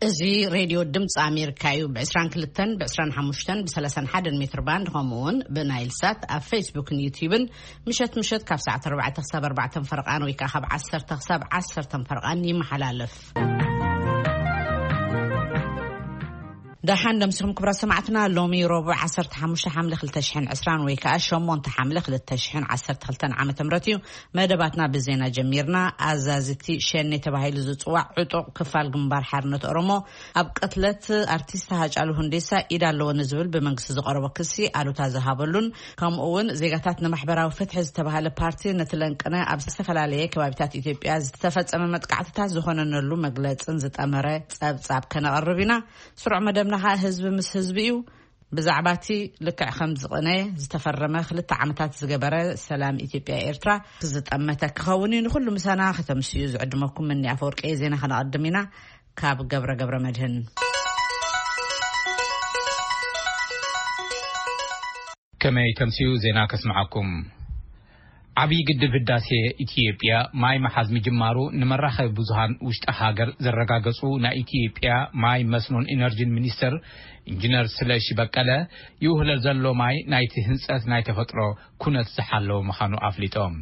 እዚ ሬድዮ ድምፂ ኣሜሪካ እዩ። ብ22፣ ብ25፣ ብ31 ሜትር ባንድ፣ ከምኡ እውን ብናይል ሳት ኣብ ፌስቡክን ዩቲዩብን ምሸት ምሸት ካብ ሰዓት ኣርባዕተ ክሳብ ኣርባዕተ ፈርቓን ወይ ከዓ ካብ ዓሰርተ ክሳብ ዓሰርተ ፈርቓን ይመሓላለፍ። ደሓን ደምሲኹም ክብራት ሰማዕትና። ሎሚ ረቡዕ ዓሰርተ ሓሙሽተ ሓምለ ክልተ ሽሕን ዕስራን ወይ ከዓ ሸሞንተ ሓምለ ክልተ ሽሕን ዓሰርተ ክልተን ዓመተ ምህረት እዩ። መደባትና ብዜና ጀሚርና። ኣዛዝቲ ሸኔ ተባሂሉ ዝጽዋዕ ዕጡቕ ክፋል ግንባር ሓርነት ኦሮሞ ኣብ ቅትለት ኣርቲስት ሃጫሉ ሁንዴሳ ኢድ ኣለዎ ንዝብል ብመንግስቲ ዝቐረቦ ክሲ ኣሉታ ዝሃበሉን፣ ከምኡ እውን ዜጋታት ንማሕበራዊ ፍትሒ ዝተባሃለ ፓርቲ ነቲ ለንቅነ ኣብ ዝተፈላለየ ከባቢታት ኢትዮጵያ ዝተፈጸመ መጥቃዕትታት ዝኾነነሉ መግለጽን ዝጠመረ ጸብጻብ ከነቕርብ ኢና። ስሩዕ መደብና ኸኣ ህዝቢ ምስ ህዝቢ እዩ። ብዛዕባ እቲ ልክዕ ከም ዝቕነ ዝተፈረመ ክልተ ዓመታት ዝገበረ ሰላም ኢትዮጵያ ኤርትራ ዝጠመተ ክኸውን እዩ። ንኹሉ ምሳና ከተምስዩ ዝዕድመኩም እኒ ኣፈወርቂ ዜና ከነቐድም ኢና። ካብ ገብረ ገብረ መድህን። ከመይ ተምስዩ ዜና ከስምዓኩም። ዓብዪ ግድብ ህዳሴ ኢትዮጵያ ማይ መሓዝ ምጅማሩ ንመራኸቢ ብዙሃን ውሽጢ ሃገር ዘረጋገጹ ናይ ኢትዮጵያ ማይ መስኖን ኢነርጂን ሚኒስተር ኢንጂነር ስለሺ በቀለ፣ ይውህለል ዘሎ ማይ ናይቲ ህንጸት ናይ ተፈጥሮ ኩነት ዝሓለወ ምዃኑ ኣፍሊጦም።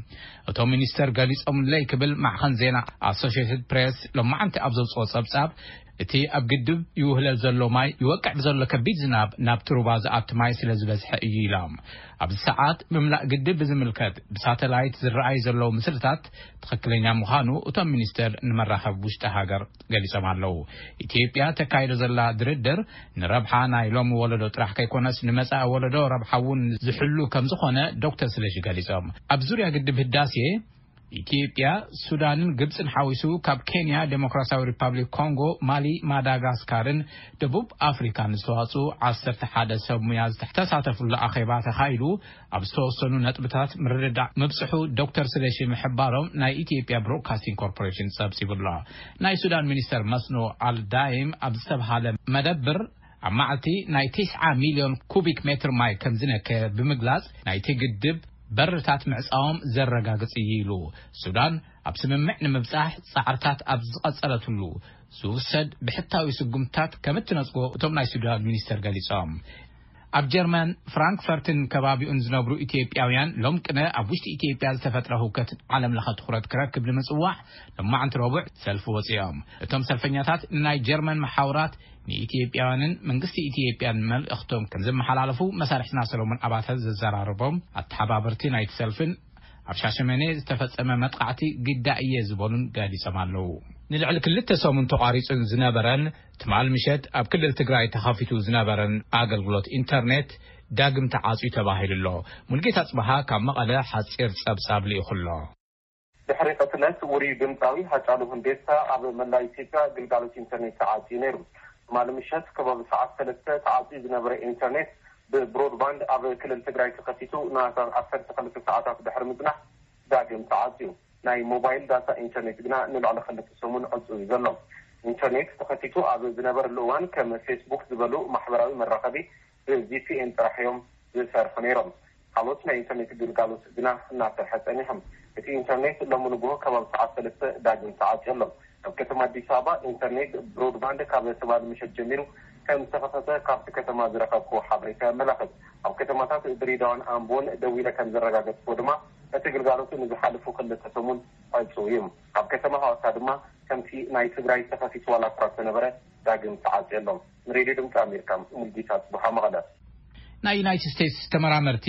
እቶም ሚኒስተር ገሊጾምለይ ክብል ማዕኸን ዜና ኣሶሽየትድ ፕሬስ ሎማዓንቲ ኣብ ዘውጽኦ ጸብጻብ፣ እቲ ኣብ ግድብ ይውህለል ዘሎ ማይ ይወቅዕ ብዘሎ ከቢድ ዝናብ ናብቲ ሩባ ዝኣቱ ማይ ስለ ዝበዝሐ እዩ ኢሎም። ኣብዚ ሰዓት ምምላእ ግድብ ብዝምልከት ብሳተላይት ዝረኣዩ ዘለዉ ምስልታት ትኽክለኛ ምዃኑ እቶም ሚኒስተር ንመራኸቢ ውሽጢ ሃገር ገሊጾም ኣለዉ። ኢትዮጵያ ተካይዶ ዘላ ድርድር ንረብሓ ናይ ሎሚ ወለዶ ጥራሕ ከይኮነስ ንመጻኢ ወለዶ ረብሓ እውን ዝሕሉ ከም ዝኾነ ዶክተር ስለሺ ገሊጾም። ኣብ ዙርያ ግድብ ህዳሴ ኢትዮጵያ፣ ሱዳንን ግብጽን ሓዊሱ ካብ ኬንያ፣ ዴሞክራሲያዊ ሪፓብሊክ ኮንጎ፣ ማሊ፣ ማዳጋስካርን ደቡብ ኣፍሪካን ዝተዋጽኡ ዓሰርተ ሓደ ሰብ ሙያ ዝተሳተፉሉ ኣኼባ ተኻይዱ ኣብ ዝተወሰኑ ነጥብታት ምርድዳእ ምብጽሑ ዶክተር ስለሺ ምሕባሮም ናይ ኢትዮጵያ ብሮድካስቲንግ ኮርፖሬሽን ጸብጺቡ ኣሎ። ናይ ሱዳን ሚኒስተር መስኖ ኣልዳይም ኣብ ዝተብሃለ መደብር ኣብ መዓልቲ ናይ ተስዓ ሚልዮን ኩቢክ ሜትር ማይ ከም ዝነከ ብምግላጽ፣ ናይቲ ግድብ በርታት ምዕጻዎም ዘረጋግጽ እዩ ኢሉ። ሱዳን ኣብ ስምምዕ ንምብጻሕ ጻዕርታት ኣብ ዝቐጸለትሉ ዝውሰድ ብሕታዊ ስጉምትታት ከም እትነጽጎ እቶም ናይ ሱዳን ሚኒስተር ገሊጾም። ኣብ ጀርመን ፍራንክፈርትን ከባቢኡን ዝነብሩ ኢትዮጵያውያን ሎም ቅነ ኣብ ውሽጢ ኢትዮጵያ ዝተፈጥረ ህውከት ዓለም ለኸ ትኹረት ክረክብ ንምጽዋዕ ሎማዕንቲ ረቡዕ ሰልፊ ወጺኦም። እቶም ሰልፈኛታት ንናይ ጀርመን መሓውራት ንኢትዮጵያውያንን መንግስቲ ኢትዮጵያን መልእኽቶም ከም ዘመሓላለፉ መሳርሕትና ሰሎሞን ኣባተ ዘዘራረቦም ኣተሓባበርቲ ናይቲ ሰልፍን ኣብ ሻሸመኔ ዝተፈጸመ መጥቃዕቲ ግዳ እየ ዝበሉን ገሊጾም ኣለዉ። ንልዕሊ ክልተ ሰሙን ተቋሪጹን ዝነበረን ትማል ምሸት ኣብ ክልል ትግራይ ተኸፊቱ ዝነበረን ኣገልግሎት ኢንተርኔት ዳግም ተዓጽዩ ተባሂሉ ኣሎ። ሙልጌታ ጽበሃ ካብ መቐለ ሓጺር ጸብጻብ ልኢኹ ኣሎ። ድሕሪ ቅትለት ውሩይ ድምጻዊ ሃጫሉ ሁንዴሳ ኣብ መላእ ኢትዮጵያ ግልጋሎት ኢንተርኔት ተዓጽዩ ነይሩ። ትማሊ ምሸት ከባቢ ሰዓት ሰለስተ ተዓጽዩ ዝነበረ ኢንተርኔት ብብሮድባንድ ኣብ ክልል ትግራይ ተኸፊቱ ንኣስታት ዓሰርተ ክልተ ሰዓታት ድሕሪ ምጽናሕ ዳግም ተዓጽዩ። ናይ ሞባይል ዳታ ኢንተርኔት ግና ንልዕሊ ክልተ ሰሙን ዕጹው እዩ ዘሎ። ኢንተርኔት ተኸፊቱ ኣብ ዝነበረሉ እዋን ከም ፌስቡክ ዝበሉ ማሕበራዊ መራኸቢ ብቪፒኤን ጥራሕ እዮም ዝሰርሑ ነይሮም። ካልኦት ናይ ኢንተርኔት ግልጋሎት ግና እናሰርሐ ጸኒሖም። እቲ ኢንተርኔት ሎሚ ንግሆ ከባቢ ሰዓት ሰለስተ ዳግም ተዓጽዩ ኣሎ። ኣብ ከተማ ኣዲስ ኣበባ ኢንተርኔት ብሮድባንድ ካብ ትማሊ ምሸት ጀሚሩ ከም ዝተኸፈተ ካብቲ ከተማ ዝረኸብኩዎ ሓበሬታ የመላኽት። ኣብ ከተማታት ድሬዳዋን ኣምቦን ደዊለ ከም ዘረጋገጽኩዎ ድማ እቲ ግልጋሎቱ ንዝሓለፉ ክልተ ሰሙን ዕጹው እዩ። ኣብ ከተማ ሃዋሳ ድማ ከምቲ ናይ ትግራይ ተኸፊቱ ዋላ እኳ እንተነበረ ዳግም ተዓጽዩ ኣሎ። ንሬድዮ ድምፂ ኣሜሪካ ሙልጌታ ጽቡሓ መቐለ። ናይ ዩናይትድ ስቴትስ ተመራመርቲ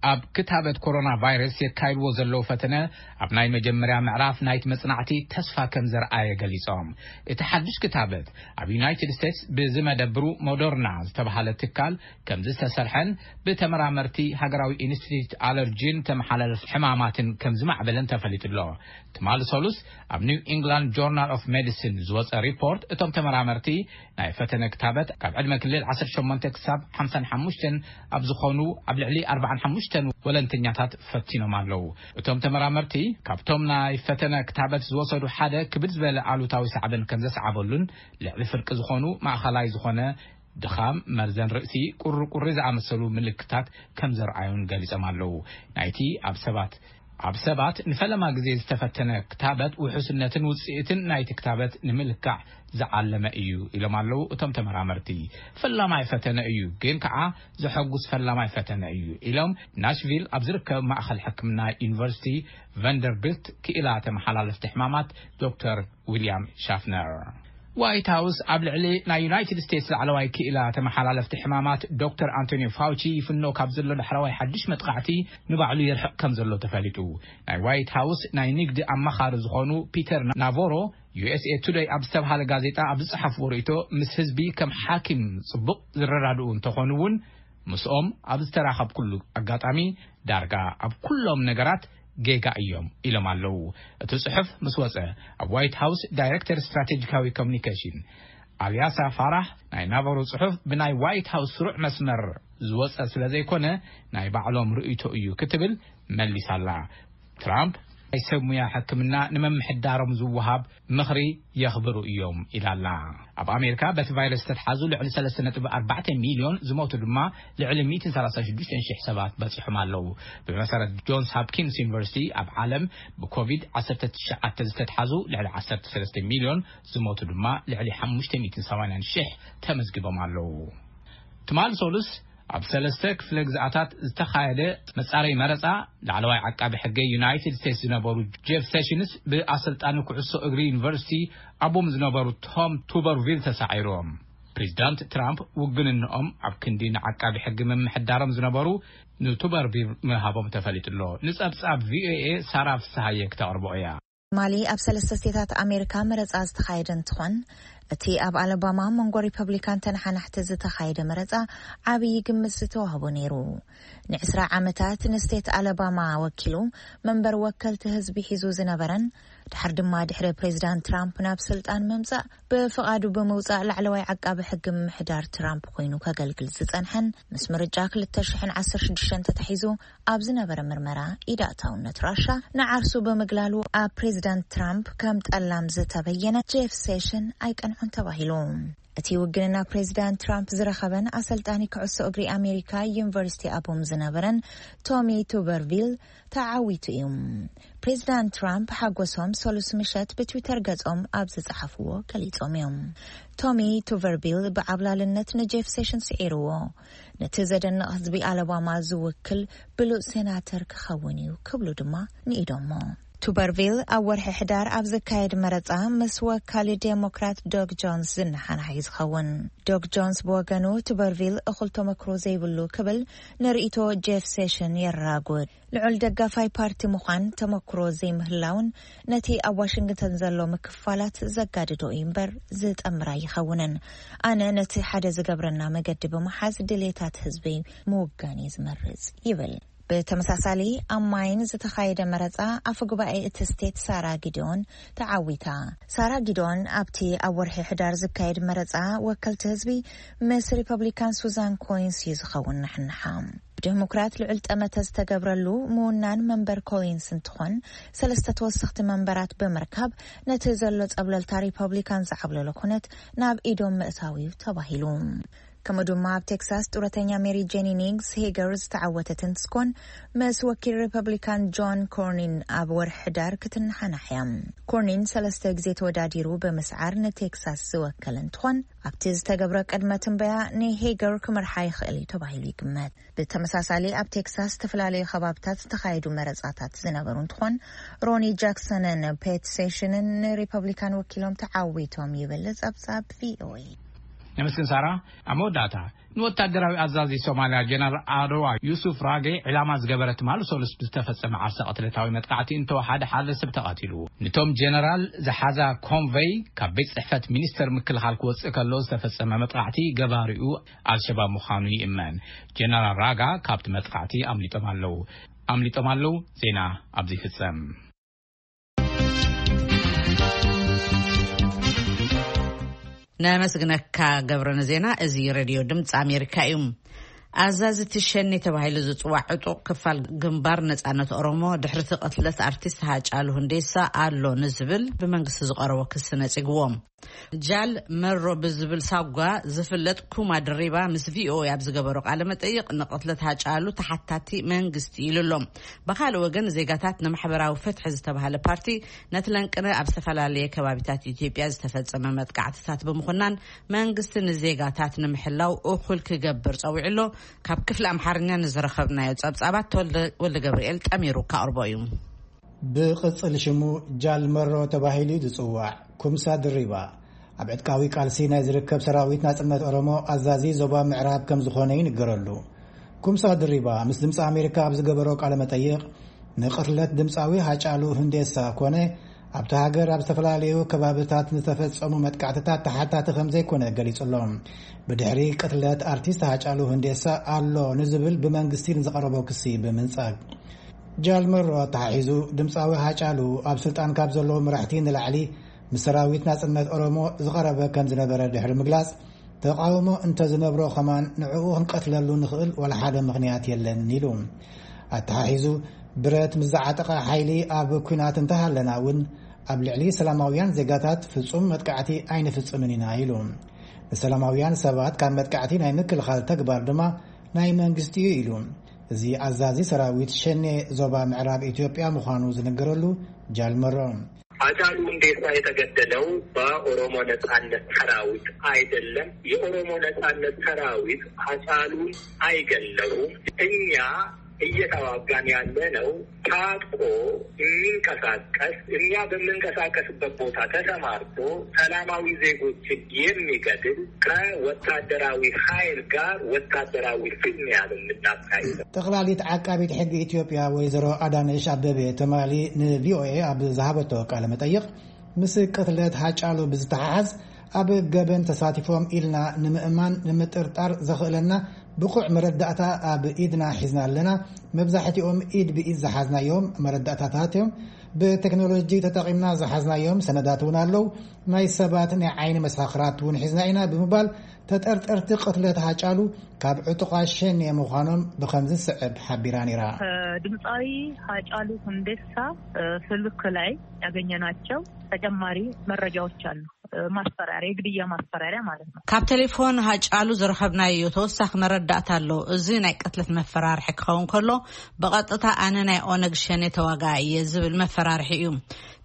ኣብ ክታበት ኮሮና ቫይረስ የካይድዎ ዘለዉ ፈተነ ኣብ ናይ መጀመርያ ምዕራፍ ናይቲ መጽናዕቲ ተስፋ ከም ዘርኣየ ገሊጾም። እቲ ሓድሽ ክታበት ኣብ ዩናይትድ ስቴትስ ብዝመደብሩ ሞደርና ዝተባሃለ ትካል ከም ዝተሰርሐን ብተመራመርቲ ሃገራዊ ኢንስቲትዩት ኣለርጂን ተመሓላለፍ ሕማማትን ከም ዝማዕበለን ተፈሊጡ ኣሎ። ትማሊ ሰሉስ ኣብ ኒው ኢንግላንድ ጆርናል ኦፍ ሜዲሲን ዝወጸ ሪፖርት እቶም ተመራመርቲ ናይ ፈተነ ክታበት ካብ ዕድመ ክልል ዓሰርተ ሸሞንተ ክሳብ ሓምሳን ሓሙሽተን ኣብ ዝኾኑ ኣብ ልዕሊ ኣርባዓን ሓሙሽተ ተን ወለንተኛታት ፈቲኖም ኣለዉ። እቶም ተመራመርቲ ካብቶም ናይ ፈተነ ክታበት ዝወሰዱ ሓደ ክብድ ዝበለ ኣሉታዊ ሳዕበን ከም ዘስዓበሉን ልዕሊ ፍርቂ ዝኾኑ ማእኸላይ ዝኾነ ድኻም፣ መርዘን ርእሲ፣ ቁርቁሪ ዝኣመሰሉ ምልክታት ከም ዘርኣዩን ገሊጾም ኣለዉ። ናይቲ ኣብ ሰባት ኣብ ሰባት ንፈለማ ግዜ ዝተፈተነ ክታበት ውሑስነትን ውጽኢትን ናይቲ ክታበት ንምልካዕ ዝዓለመ እዩ ኢሎም ኣለዉ እቶም ተመራመርቲ። ፈላማይ ፈተነ እዩ፣ ግን ከኣ ዘሐጉስ ፈላማይ ፈተነ እዩ ኢሎም ናሽቪል ኣብ ዝርከብ ማእኸል ሕክምና ዩኒቨርሲቲ ቫንደርቢልት ክኢላ ተመሓላለፍቲ ሕማማት ዶክተር ዊልያም ሻፍነር። ዋይት ሃውስ ኣብ ልዕሊ ናይ ዩናይትድ ስቴትስ ላዕለዋይ ክኢላ ተመሓላለፍቲ ሕማማት ዶክተር ኣንቶኒዮ ፋውቺ ይፍኖ ካብ ዘሎ ዳሕረዋይ ሓድሽ መጥቃዕቲ ንባዕሉ ይርሕቕ ከም ዘሎ ተፈሊጡ። ናይ ዋይት ሃውስ ናይ ንግዲ ኣማኻሪ ዝኾኑ ፒተር ናቮሮ ዩ ኤስ ኤ ቱደይ ኣብ ዝተብሃለ ጋዜጣ ኣብ ዝጸሓፍዎ ርእይቶ፣ ምስ ህዝቢ ከም ሓኪም ጽቡቕ ዝረዳድኡ እንተኾኑ እውን ምስኦም ኣብ ዝተራኸብኩሉ ኣጋጣሚ ዳርጋ ኣብ ኩሎም ነገራት ጌጋ እዮም ኢሎም ኣለዉ። እቲ ጽሑፍ ምስ ወጸ ኣብ ዋይት ሃውስ ዳይሬክተር ስትራቴጂካዊ ኮሚኒኬሽን ኣልያሳ ፋራህ ናይ ናበሩ ጽሑፍ ብናይ ዋይት ሃውስ ስሩዕ መስመር ዝወጸ ስለ ዘይኮነ ናይ ባዕሎም ርእይቶ እዩ ክትብል መሊሳላ። ትራምፕ ናይ ሰብ ሙያ ሕክምና ንምምሕዳሮም ዝወሃብ ምኽሪ የኽብሩ እዮም ኢላላ። ኣብ ኣሜሪካ በቲ ቫይረስ ዝተትሓዙ ልዕሊ ሰለስተ ነጥቢ ኣርባዕተ ሚልዮን ዝሞቱ ድማ ልዕሊ ሚእትን ሰላሳን ሽዱሽተን ሽሕ ሰባት በጺሖም ኣለዉ። ብመሰረት ጆንስ ሆፕኪንስ ዩኒቨርሲቲ ኣብ ዓለም ብኮቪድ ዓሰርተ ትሽዓተ ዝተትሓዙ ልዕሊ ዓሰርተ ሰለስተ ሚልዮን ዝሞቱ ድማ ልዕሊ ሓሙሽተ ሚእትን ሰማንያን ሽሕ ተመዝጊቦም ኣለዉ። ትማል ሶሉስ ኣብ ሰለስተ ክፍለ ግዝኣታት ዝተኻየደ መጻረይ መረጻ ላዕለዋይ ዓቃቢ ሕገ ዩናይትድ ስቴትስ ዝነበሩ ጄፍ ሴሽንስ ብኣሰልጣኒ ኩዕሶ እግሪ ዩኒቨርሲቲ ኣቦም ዝነበሩ ቶም ቱበርቪል ተሳዒሮም። ፕሬዚዳንት ትራምፕ ውግንንኦም ኣብ ክንዲ ንዓቃቢ ሕጊ ምምሕዳሮም ዝነበሩ ንቱበርቪል ምሃቦም ተፈሊጡ ኣሎ። ንጸብጻብ ቪኦኤ ሳራ ፍስሃየ ክተቕርቦ እያ። ማሊ ኣብ ሰለስተ ስቴታት ኣሜሪካ መረጻ ዝተኻየደ እንትኾን፣ እቲ ኣብ ኣለባማ መንጎ ሪፐብሊካን ተነሓናሕቲ ዝተኻየደ መረጻ ዓብዪ ግምት ዝተዋህቦ ነይሩ። ንዕስራ ዓመታት ንስቴት ኣለባማ ወኪሉ መንበር ወከልቲ ህዝቢ ሒዙ ዝነበረን ድሓር ድማ ድሕሪ ፕሬዚዳንት ትራምፕ ናብ ስልጣን ምምጻእ ብፍቓዱ ብምውጻእ ላዕለዋይ ዓቃቢ ሕጊ ምምሕዳር ትራምፕ ኮይኑ ከገልግል ዝጸንሐን ምስ ምርጫ ክልተ ሽሕን ዓሰርተ ሽዱሽተን ተታሒዙ ኣብ ዝነበረ ምርመራ ኢድ ኣእታውነት ራሻ ንዓርሱ ብምግላሉ ኣብ ፕሬዚዳንት ትራምፕ ከም ጠላም ዝተበየነ ጄፍ ሴሽን ኣይቀንዖን ተባሂሉ። እቲ ውግንና ፕሬዚዳንት ትራምፕ ዝረኸበን ኣሰልጣኒ ኩዕሶ እግሪ ኣሜሪካ ዩኒቨርሲቲ ኣቦም ዝነበረን ቶሚ ቱበርቪል ተዓዊቱ እዩ። ፕሬዚዳንት ትራምፕ ሓጎሶም ሰሉስ ምሸት ብትዊተር ገጾም ኣብ ዝጸሓፍዎ ገሊጾም እዮም። ቶሚ ቱቨርቪል ብዓብላልነት ንጄፍ ሴሽን ስዒርዎ። ነቲ ዘደንቕ ህዝቢ ኣለባማ ዝውክል ብሉጽ ሴናተር ክኸውን እዩ ክብሉ ድማ ንኢዶሞ። ቱበርቪል ኣብ ወርሒ ሕዳር ኣብ ዝካየድ መረጻ ምስ ወካሊ ዴሞክራት ዶግ ጆንስ ዝነሓናሕ እዩ ዝኸውን። ዶግ ጆንስ ብወገኑ ቱበርቪል እኹል ተመክሮ ዘይብሉ ክብል ንርእይቶ ጄፍ ሴሽን የራጉድ። ልዑል ደጋፋይ ፓርቲ ምዃን ተመክሮ ዘይምህላውን ነቲ ኣብ ዋሽንግተን ዘሎ ምክፋላት ዘጋድዶ እዩ እምበር ዝጠምር ኣይኸውንን። ኣነ ነቲ ሓደ ዝገብረና መገዲ ብምሓዝ ድሌታት ህዝቢ ምውጋን እየ ዝመርጽ ይብል። ብተመሳሳሊ ኣብ ማይን ዝተኻየደ መረጻ ኣፈ ጉባኤ እቲ ስቴት ሳራ ጊዲዮን ተዓዊታ። ሳራ ጊዲዮን ኣብቲ ኣብ ወርሒ ሕዳር ዝካየድ መረጻ ወከልቲ ህዝቢ ምስ ሪፐብሊካን ሱዛን ኮይንስ እዩ ዝኸውን ናሕንሓ። ብዴሞክራት ልዑል ጠመተ ዝተገብረሉ ምውናን መንበር ኮሊንስ እንትኾን፣ ሰለስተ ተወሰኽቲ መንበራት ብምርካብ ነቲ ዘሎ ጸብለልታ ሪፐብሊካን ዝዓብለሎ ኩነት ናብ ኢዶም ምእታው እዩ ተባሂሉ። ከምኡ ድማ ኣብ ቴክሳስ ጡረተኛ ሜሪ ጄኒ ኒግስ ሄገር ዝተዓወተት እንትትኮን፣ ምስ ወኪል ሪፐብሊካን ጆን ኮርኒን ኣብ ወርሒ ሕዳር ክትነሓናሕ እያ። ኮርኒን ሰለስተ ግዜ ተወዳዲሩ ብምስዓር ንቴክሳስ ዝወከለ እንትኾን፣ ኣብቲ ዝተገብረ ቅድመ ትንበያ ንሄገር ክመርሓ ይኽእል እዩ ተባሂሉ ይግመት። ብተመሳሳሊ ኣብ ቴክሳስ ዝተፈላለዩ ከባብታት ዝተኻየዱ መረጻታት ዝነበሩ እንትኾን፣ ሮኒ ጃክሰንን ፔት ሴሽንን ንሪፐብሊካን ወኪሎም ተዓዊቶም ይብል ጸብጻብ ቪኦኤ። ነመስግን ሳራ። ኣብ መወዳእታ ንወታደራዊ ኣዛዚ ሶማልያ ጀነራል ኣደዋ ዩሱፍ ራጌ ዕላማ ዝገበረ ትማሊ ሰሉስ ብዝተፈጸመ ዓርሰ ቅትለታዊ መጥቃዕቲ እንተወሓደ ሓደ ሰብ ተቐቲሉ። ንቶም ጀነራል ዝሓዛ ኮንቨይ ካብ ቤት ጽሕፈት ሚኒስተር ምክልኻል ክወጽእ ከሎ ዝተፈጸመ መጥቃዕቲ ገባሪኡ ኣልሸባብ ምዃኑ ይእመን። ጀነራል ራጋ ካብቲ መጥቃዕቲ ኣምሊጦም ኣለዉ። ኣምሊጦም ኣለዉ። ዜና ኣብዚ ይፍጸም። ነመስግነካ ገብረ ንዜና። እዚ ሬድዮ ድምፂ ኣሜሪካ እዩ። ኣዛዚ እቲ ሸኔ ተባሂሉ ዝጽዋዕ ዕጡቕ ክፋል ግንባር ነጻነት ኦሮሞ፣ ድሕሪ እቲ ቅትለት ኣርቲስት ሃጫሉ ሁንዴሳ ኣሎ ንዝብል ብመንግስቲ ዝቐረቦ ክሲ ነጺግዎ። ጃል መሮ ብዝብል ሳጓ ዝፍለጥ ኩማ ድሪባ ምስ ቪኦኤ ኣብ ዝገበሮ ቃለ መጠይቕ፣ ንቕትለት ሃጫሉ ተሓታቲ መንግስቲ ኢሉ ኣሎ። ብኻልእ ወገን፣ ዜጋታት ንማሕበራዊ ፍትሒ ዝተባህለ ፓርቲ፣ ነቲ ለንቅነ ኣብ ዝተፈላለየ ከባቢታት ኢትዮጵያ ዝተፈጸመ መጥቃዕትታት ብምኹናን፣ መንግስቲ ንዜጋታት ንምሕላው እኹል ክገብር ጸዊዑ ኣሎ። ካብ ክፍሊ ኣምሓርኛ ንዝረኸብናዮ ጸብጻባት፣ ተወልደ ወልደ ገብርኤል ጠሚሩ ካቕርቦ እዩ። ብቕጽል ሽሙ ጃል መሮ ተባሂሉ ዝጽዋዕ ኩምሳ ድሪባ፣ ኣብ ዕጥቃዊ ቃልሲ ናይ ዝርከብ ሰራዊት ናጽነት ኦሮሞ ኣዛዚ ዞባ ምዕራብ ከም ዝኾነ ይንገረሉ። ኩምሳ ድሪባ ምስ ድምፂ ኣሜሪካ ኣብ ዝገበሮ ቃለ መጠይቕ፣ ንቕትለት ድምፃዊ ሃጫሉ ሁንዴሳ ኮነ ኣብቲ ሃገር ኣብ ዝተፈላለዩ ከባብታት ዝተፈጸሙ መጥቃዕትታት ተሓታቲ ከም ዘይኮነ ገሊጹ ኣሎ። ብድሕሪ ቅትለት ኣርቲስት ሃጫሉ ሁንዴሳ ኣሎ ንዝብል ብመንግስቲ ንዝቐረቦ ክሲ ብምንጻግ፣ ጃል መሮ ኣተሓሒዙ፣ ድምፃዊ ሃጫሉ ኣብ ስልጣን ካብ ዘለዉ መራሕቲ ንላዕሊ ምስ ሰራዊት ናጽነት ኦሮሞ ዝቐረበ ከም ዝነበረ ድሕሪ ምግላጽ፣ ተቓውሞ እንተ ዝነብሮ ከማን ንዕኡ ክንቀትለሉ ንኽእል ዋላ ሓደ ምኽንያት የለን ኢሉ። ኣተሓሒዙ፣ ብረት ምስ ዝዓጠቐ ሓይሊ ኣብ ኲናት እንተሃለና እውን፣ ኣብ ልዕሊ ሰላማውያን ዜጋታት ፍጹም መጥቃዕቲ ኣይንፍጽምን ኢና ኢሉ። ንሰላማውያን ሰባት ካብ መጥቃዕቲ ናይ ምክልኻል ተግባር ድማ ናይ መንግስቲ እዩ ኢሉ። እዚ ኣዛዚ ሰራዊት ሸኔ ዞባ ምዕራብ ኢትዮጵያ ምዃኑ ዝነገረሉ ጃል መሮ፣ ሃጫሉ ሁንዴሳ የተገደለው በኦሮሞ ነጻነት ሰራዊት አይደለም። የኦሮሞ ነጻነት ሰራዊት ሃጫሉን አይገለውም። እኛ እየተዋጋን ያለነው ታጥቆ የሚንቀሳቀስ፣ እኛ በምንቀሳቀስበት ቦታ ተሰማርቶ ሰላማዊ ዜጎችን የሚገድል፣ ከወታደራዊ ኃይል ጋር ወታደራዊ ፍልሚያ ነው የምናካሂደው። ጠቕላሊት ዓቃቢት ሕጊ ኢትዮጵያ ወይዘሮ ኣዳነሽ ኣበበ ትማሊ ንቪኦኤ ኣብ ዝሃበቶ ቃለ መጠይቕ፣ ምስ ቅትለት ሃጫሉ ብዝተሓሓዝ፣ ኣብ ገበን ተሳቲፎም ኢልና ንምእማን ንምጥርጣር ዘኽእለና ብቑዕ መረዳእታ ኣብ ኢድና ሒዝና ኣለና። መብዛሕትኦም ኢድ ብኢድ ዝሓዝናዮም መረዳእታታት እዮም። ብቴክኖሎጂ ተጠቒምና ዝሓዝናዮም ሰነዳት እውን ኣለዉ። ናይ ሰባት ናይ ዓይኒ መሰኻኽራት እውን ሒዝና ኢና ብምባል፣ ተጠርጠርቲ ቅትለት ሃጫሉ ካብ ዕጡቓት ሸኔ ምዃኖም ብኸምዚ ዝስዕብ ሓቢራ ነይራ። ከድምፃዊ ሃጫሉ ሁንዴሳ፣ እ፣ ስልክ ላይ ያገኘናቸው ተጨማሪ መረጃዎች አሉ። እ፣ ማስፈራሪያ፣ የግድያ ማስፈራሪያ ማለት ነው። ካብ ቴሌፎን ሃጫሉ ዝረኸብናዮ ተወሳኺ መረዳእታ ኣሎ። እዚ ናይ ቅትለት መፈራርሒ ክኸውን ከሎ፣ ብቐጥታ ኣነ ናይ ኦነግ ሸኔ ተዋጋኢ እየ ዝብል መፈራርሒ እዩ።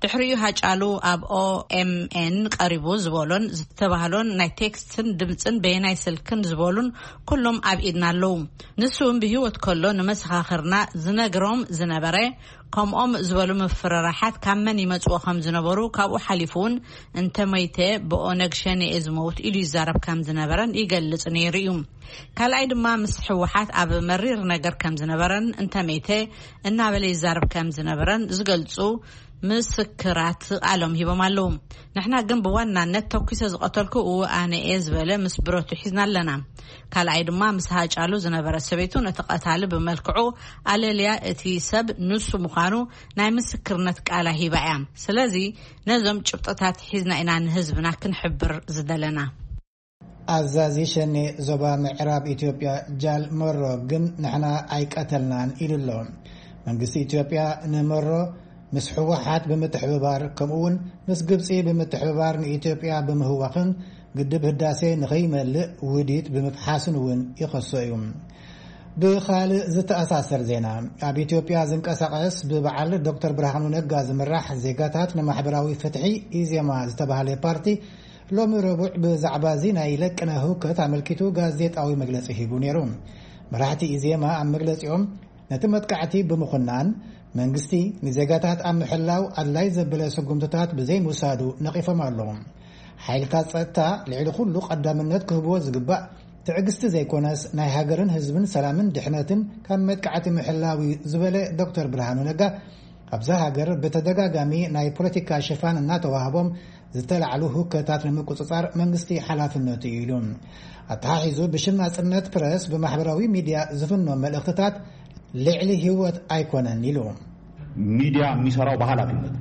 ድሕሪኡ ሃጫሉ ኣብ ኦኤምኤን ቀሪቡ ዝበሎን ዝተባህሎን ናይ ቴክስትን ድምፅን በየናይ ስልክን ዝበሉን ኩሎም ኣብ ኢድና ኣለዉ። ንሱ እውን ብህይወት ከሎ ንመሰኻኽርና ዝነግሮም ዝነበረ፣ ከምኦም ዝበሉ ምፍርራሓት ካብ መን ይመጽዎ ከም ዝነበሩ፣ ካብኡ ሓሊፉ እውን እንተመይተ ብኦነግ ሸኔ እየ ዝመውት ኢሉ ይዛረብ ከም ዝነበረን ይገልጽ ነይሩ እዩ። ካልኣይ ድማ ምስ ህወሓት ኣብ መሪር ነገር ከም ዝነበረን እንተመይተ እናበለ ይዛረብ ከም ዝነበረን ዝገልጹ ምስክራት ቃሎም ሂቦም ኣለዉ። ንሕና ግን ብዋናነት ተኲሰ ዝቐተልኩ እወ ኣነ እየ ዝበለ ምስ ብረቱ ሒዝና ኣለና። ካልኣይ ድማ ምስ ሃጫሉ ዝነበረ ሰበይቱ ነቲ ቀታሊ ብመልክዑ ኣለልያ እቲ ሰብ ንሱ ምዃኑ ናይ ምስክርነት ቃላ ሂባ እያ። ስለዚ ነዞም ጭብጥታት ሒዝና ኢና ንህዝብና ክንሕብር ዝደለና። ኣዛዚ ሸኔ ዞባ ምዕራብ ኢትዮጵያ ጃል መሮ ግን ንሕና ኣይቀተልናን ኢሉ ኣሎ። መንግስቲ ኢትዮጵያ ንመሮ ምስ ህወሓት ብምትሕብባር፣ ከምኡ እውን ምስ ግብፂ ብምትሕብባር ንኢትዮጵያ ብምህዋኽን ግድብ ህዳሴ ንኸይመልእ ውዲት ብምፍሓስን እውን ይኸሶ እዩ። ብኻልእ ዝተኣሳሰር ዜና፣ ኣብ ኢትዮጵያ ዝንቀሳቐስ ብበዓል ዶክተር ብርሃኑ ነጋ ዝምራሕ ዜጋታት ንማሕበራዊ ፍትሒ፣ ኢዜማ፣ ዝተባህለ ፓርቲ፣ ሎሚ ረቡዕ ብዛዕባ እዚ ናይ ለቅነ ህውከት ኣመልኪቱ ጋዜጣዊ መግለጺ ሂቡ ነይሩ። መራሕቲ ኢዜማ ኣብ መግለጺኦም፣ ነቲ መጥቃዕቲ ብምኹናን፣ መንግስቲ ንዜጋታት ኣብ ምሕላው ኣድላይ ዘበለ ስጉምትታት ብዘይምውሳዱ ነቒፎም ኣለዉ። ሓይልታት ጸጥታ ልዕሊ ኩሉ ቀዳምነት ክህብዎ ዝግባእ ትዕግስቲ ዘይኮነስ፣ ናይ ሃገርን ህዝብን ሰላምን ድሕነትን ካብ መጥቃዕቲ ምሕላው እዩ ዝበለ ዶክተር ብርሃኑ ነጋ፣ ኣብዛ ሃገር ብተደጋጋሚ ናይ ፖለቲካ ሽፋን እናተዋህቦም ዝተላዕሉ ህውከታት ንምቁጽጻር መንግስቲ ሓላፍነቱ እዩ ኢሉ። ኣተሓሒዙ ብሽም ናጽነት ፕረስ ብማሕበራዊ ሚድያ ዝፍኖ መልእኽትታት ልዕሊ ህይወት ኣይኮነን ኢሉ። ሚዲያ የሚሰራው በኃላፊነት ነው።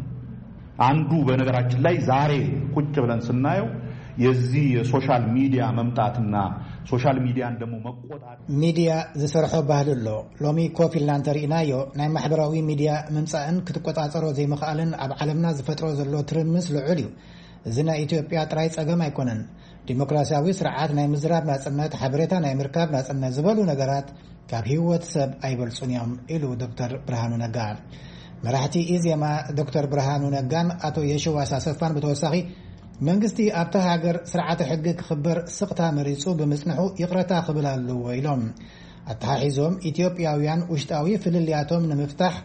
አንዱ በነገራችን ላይ ዛሬ ቁጭ ብለን ስናየው የዚ የሶሻል ሚዲያ መምጣትና ሶሻል ሚዲያን ደግሞ መቆጣጠር ሚዲያ ዝሰርሖ ባህሊ ኣሎ። ሎሚ ኮፍ ኢልና እንተርኢናዮ፣ ናይ ማሕበራዊ ሚዲያ ምምጻእን ክትቆጻጸሮ ዘይምኽኣልን ኣብ ዓለምና ዝፈጥሮ ዘሎ ትርምስ ልዑል እዩ። እዚ ናይ ኢትዮጵያ ጥራይ ጸገም ኣይኮነን። ዲሞክራሲያዊ ስርዓት፣ ናይ ምዝራብ ናጽነት፣ ሓበሬታ ናይ ምርካብ ናጽነት ዝበሉ ነገራት ካብ ህይወት ሰብ ኣይበልጹን እዮም ኢሉ ዶክተር ብርሃኑ ነጋ። መራሕቲ ኢዜማ ዶክተር ብርሃኑ ነጋን ኣቶ የሽዋስ ኣሰፋን ብተወሳኺ፣ መንግስቲ ኣብታ ሃገር ስርዓተ ሕጊ ክኽበር ስቕታ መሪጹ ብምጽንሑ ይቕረታ ክብል ኣለዎ ኢሎም። ኣተሓሒዞም፣ ኢትዮጵያውያን ውሽጣዊ ፍልልያቶም ንምፍታሕ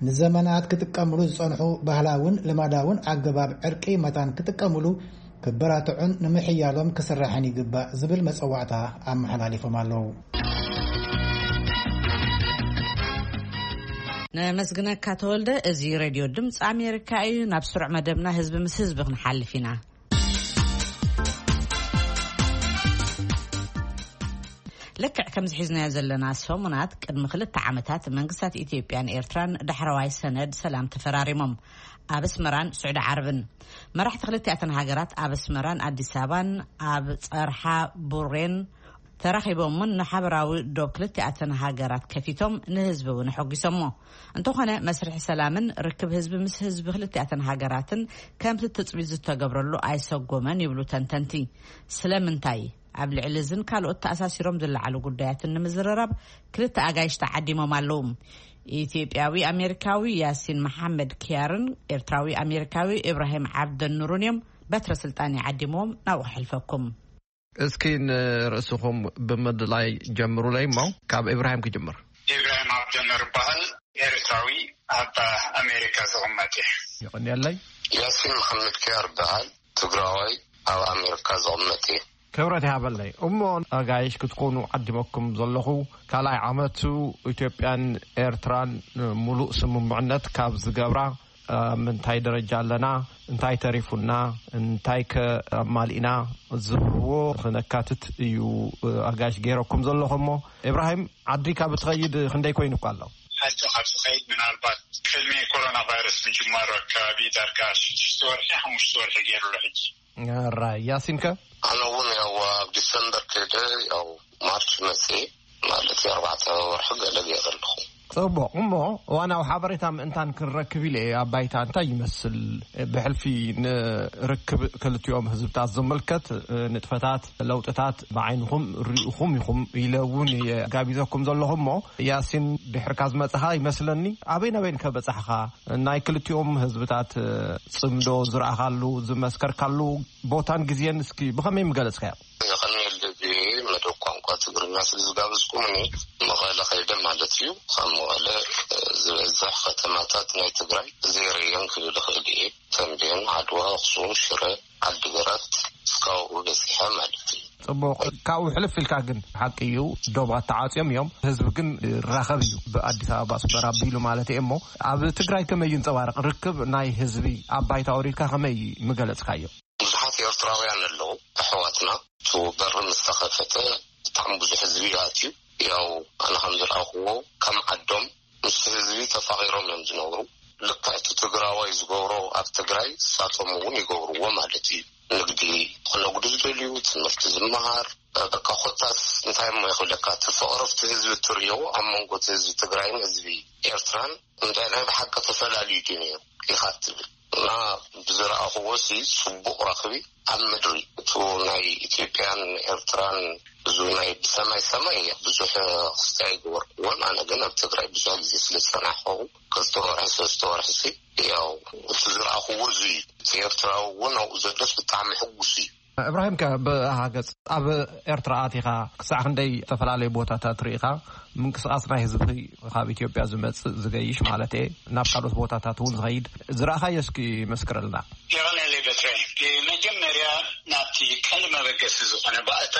ንዘመናት ክጥቀምሉ ዝጸንሑ ባህላውን ልማዳውን ኣገባብ ዕርቂ መታን ክጥቀምሉ ክበራትዑን ንምሕያሎም ክስራሕን ይግባእ ዝብል መጸዋዕታ ኣመሓላሊፎም ኣለዉ። ነመስግነካ ተወልደ። እዚ ሬድዮ ድምፂ ኣሜሪካ እዩ። ናብ ስሩዕ መደብና ህዝቢ ምስ ህዝቢ ክንሓልፍ ኢና። ልክዕ ከምዚ ሒዝናዮ ዘለና ሰሙናት፣ ቅድሚ ክልተ ዓመታት መንግስታት ኢትዮጵያን ኤርትራን ዳሕረዋይ ሰነድ ሰላም ተፈራሪሞም፣ ኣብ ኣስመራን ስዑዲ ዓረብን። መራሕቲ ክልቲኣተን ሃገራት ኣብ ኣስመራን ኣዲስ ኣበባን ኣብ ጸርሓ ቡሬን ተራኺቦምን ንሓበራዊ ዶብ ክልቲኣተን ሃገራት ከፊቶም ንህዝቢ እውን ኣሐጒሶሞ። እንተኾነ፣ መስርሒ ሰላምን ርክብ ህዝቢ ምስ ህዝቢ ክልቲኣተን ሃገራትን ከምቲ ትጽቢት ዝተገብረሉ ኣይሰጎመን ይብሉ ተንተንቲ። ስለምንታይ? ኣብ ልዕሊ እዝን ካልኦት ተኣሳሲሮም ዝለዓሉ ጉዳያትን ንምዝርራብ ክልተ ኣጋይሽ ተዓዲሞም ኣለዉ። ኢትዮጵያዊ ኣሜሪካዊ ያሲን መሓመድ ኪያርን ኤርትራዊ ኣሜሪካዊ ኢብራሂም ዓብደኑርን እዮም። በትረ ስልጣን ይዓዲሞም፣ ናብኡ ክሕልፈኩም። እስኪ ንርእስኹም ብምድላይ ጀምሩለይ እሞ፣ ካብ ኢብራሂም ክጅምር። ኢብራሂም ዓብደኑር ይበሃል። ኤርትራዊ፣ ኣብ ኣሜሪካ ዝቕመጥ እየ። ይቐንየለይ። ያሲን መሓመድ ኪያር ይበሃል። ትግራዋይ፣ ኣብ ኣሜሪካ ዝቕመጥ እየ። ክብረት ይሃበለይ። እሞ ኣጋይሽ ክትኮኑ ዓዲመኩም ዘለኹ ካልኣይ ዓመቱ፣ ኢትዮጵያን ኤርትራን ምሉእ ስምምዕነት ካብ ዝገብራ ኣብ ምንታይ ደረጃ ኣለና? እንታይ ተሪፉና? እንታይ ከ ኣማሊእና? ዝብልዎ ክነካትት እዩ ኣጋይሽ ገይረኩም ዘለኹ። እሞ ኢብራሂም፣ ዓዲ ካብ እትኸይድ ክንደይ ኮይኑ እኳ ኣሎ? ዓዲ ካብ ዝኸይድ ምናልባት ቅድሚ ኮሮና ቫይረስ ምጅማሩ ኣካባቢ ዳርጋ ሽዱሽተ ወርሒ፣ ሓሙሽተ ወርሒ ገይሩ ኣሎ ሕጂ። ራይ፣ ያሲን ከ? ኣነ እውን ያው ኣብ ዲሰምበር ከይደ፣ ያው ማርች መጽኤ ማለት እዩ፣ ኣርባዕተ ወርሒ ገለ ገይረ ኣለኹ። ጽቡቕ። እሞ እዋናዊ ሓበሬታ ምእንታን ክንረክብ ኢለ እየ። ኣብ ባይታ እንታይ ይመስል? ብሕልፊ ንርክብ ክልቲኦም ህዝብታት ዝምልከት ንጥፈታት፣ ለውጥታት ብዓይንኹም ርኢኹም ኢኹም ኢለ እውን እየ ጋቢዘኩም ዘለኹ። እሞ ያሲን፣ ድሕርካ ዝመጽኻ ይመስለኒ። ኣበይ ናበይን ከ በጻሕኻ? ናይ ክልቲኦም ህዝብታት ጽምዶ ዝረኣኻሉ፣ ዝመስከርካሉ ቦታን ግዜን እስኪ ብኸመይ ምገለጽካዮ? የቐንየለይ፣ ብመደብ ቋንቋ ትግርኛ ስለ ዝጋበዝኩምኒ። መቐለ ከይደ ማለት እዩ። ካብ መቐለ፣ እ፣ ዝበዝሕ ከተማታት ናይ ትግራይ ዘይረየን ክብል እኽእል እየ። ተምቤን፣ ዓድዋ፣ ኣኽሱም፣ ሽረ፣ ዓዲግራት፣ እስካብኡ በጺሐ ማለት እዩ። ጽቡቕ። ካብኡ ሕልፍ ኢልካ ግን፣ ሓቂ እዩ፣ ዶባት ተዓጽዮም እዮም፣ ህዝቢ ግን ይራኸብ እዩ፣ ብኣዲስ ኣበባ ኣስመራ ኣቢሉ ማለት እየ። እሞ ኣብ ትግራይ ከመይ ይንጸባረቕ ርክብ ናይ ህዝቢ? ኣብ ባይታ ኣውሪድካ ከመይ ምገለጽካዮ? ብዙሓት ኤርትራውያን ኣለዉ፣ ኣሕዋትና። እቲ በሪ ምስ ተኸፈተ ብጣዕሚ ብዙሕ ህዝቢ እዩ ኣትዩ። ያው ኣነ ከም ዝረኣኽዎ፣ ከም ዓዶም ምስቲ ህዝቢ ተፋቒሮም እዮም ዝነብሩ። ልክዕ እቲ ትግራዋይ ዝገብሮ ኣብ ትግራይ ንሳቶም እውን ይገብርዎ ማለት እዩ። ንግዲ ክነግዱ ዝደልዩ፣ ትምህርቲ ዝመሃር፣ በቃ ኮታስ እንታይ እሞ ይኽብለካ፣ እቲ ፍቕሪ ኣብቲ ህዝቢ እትርእዮ ኣብ መንጎ እቲ ህዝቢ ትግራይን ህዝቢ ኤርትራን እንታይ ናይ ብሓቂ ተፈላልዩ ድዩ ነይሩ ኢኻ እትብል። እና ብዝረኣኽዎ ሲ ጽቡቕ ረኽቢ ኣብ ምድሪ፣ እቱ ናይ ኢትዮጵያን ኤርትራን ብዙ ናይ ብሰማይ ሰማይ ብዙሕ ክስታይ ኣይገበርኩዎን። ኣነ ግን ኣብ ትግራይ ብዙሕ ግዜ ስለ ዝጸናሕኩ፣ ክልተ ወርሒ፣ ሰለስተ ወርሒ ሲ፣ ያው፣ እቲ ዝረኣኽዎ እዚ እዩ። እቲ ኤርትራዊ እውን ኣብኡ ዘሎስ ብጣዕሚ ሕጉስ እዩ። እብራሂም ከ ብሃገጽ ኣብ ኤርትራ ኣቲኻ ክሳዕ ክንደይ ዝተፈላለዩ ቦታታት ርኢኻ? ምንቅስቓስ ናይ ህዝቢ ካብ ኢትዮጵያ ዝመጽእ ዝገይሽ ማለት እየ፣ ናብ ካልኦት ቦታታት እውን ዝኸይድ ዝረኣኻዮ እስኪ መስክረልና። የቐንየለይ በትረ። ብመጀመርያ ናብቲ ቀንዲ መበገሲ ዝኾነ ባእታ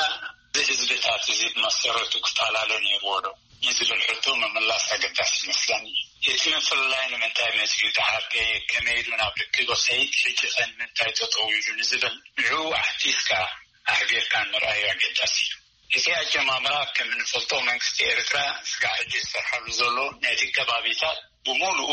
እዚ ህዝብታት እዚ ብመሰረቱ ክፈላለ ነይርዎ ዶ? ንዝብል ሕቶ ምምላስ ኣገዳሲ ይመስለኒ። እቲ ምፍልላይ ንምንታይ መጺኡ ደሓር ከ ከመይ ኢሉ ናብ ርክብ ይኸይድ፣ ሕጂ ከ ንምንታይ ጠጠው ኢሉ ንዝብል ንዕኡ ኣሕቲትካ ኣሕቢርካ ምርኣዩ ኣገዳሲ እዩ። እቲ ኣጀማምራ ከም እንፈልጦ መንግስቲ ኤርትራ ስጋዕ ሕጂ ዝሰርሓሉ ዘሎ ነቲ ከባቢታት ብምሉኡ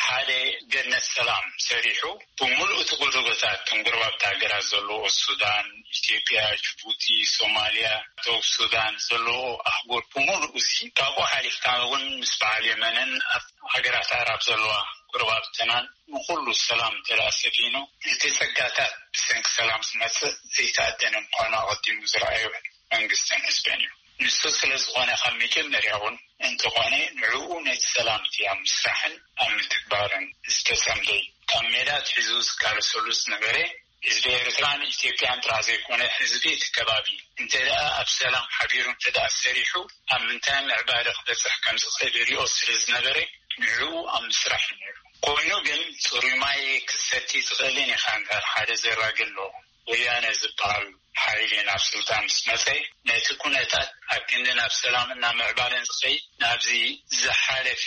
ሓደ ገነት ሰላም ሰሪሑ፣ ብምሉእ እቲ ጎደጎታት፣ እተን ጎረባብቲ ሃገራት ዘለዎ፣ ሱዳን፣ ኢትዮጵያ፣ ጅቡቲ፣ ሶማልያ፣ ደቡብ ሱዳን ዘለዎ ኣህጉር ብምሉእ፣ እዚ ካብኡ ሓሊፍካ እውን ምስ በዓል የመንን ኣብ ሃገራት ኣዕራብ ዘለዋ ጎረባብትናን ንኹሉ ሰላም እንተ ደኣ ሰፊኑ፣ እቲ ጸጋታት ብሰንኪ ሰላም ዝመጽእ ዘይተኣደነ ምዃኑ ኣቐዲሙ ዝረኣዮ መንግስትን ህዝብን እዩ። ንሱ ስለ ዝኾነ፣ ካብ መጀመርያ እውን እንተኾነ፣ ንዕኡ ነቲ ሰላም እቲ ኣብ ምስራሕን ኣብ ምትግባርን ዝተጸምደ እዩ። ካብ ሜዳ ኣትሒዙ ዝቃለሰሉ ዝነበረ ህዝቢ ኤርትራን ኢትዮጵያን ጥራሕ ዘይኮነ፣ ህዝቢ እቲ ከባቢ እንተ ደኣ ኣብ ሰላም ሓቢሩ እንተ ደኣ ሰሪሑ፣ ኣብ ምንታይ ምዕባለ ክበጽሕ ከም ዝኽእል ይሪኦ ስለ ዝነበረ፣ ንዕኡ ኣብ ምስራሕ እዩ ነይሩ። ኮይኑ ግን፣ ጽሩይ ማይ ክትሰቲ ትኽእልን ኢኻ እምበር፣ ሓደ ዘራጊ ኣሎ። ወያነ ዝበሃል ሓይሊ ናብ ስልጣን ምስ መጸ፣ ነቲ ኩነታት ኣብ ክንዲ ናብ ሰላምን ናብ ምዕባለን ዝኸይድ፣ ናብዚ ዝሓለፈ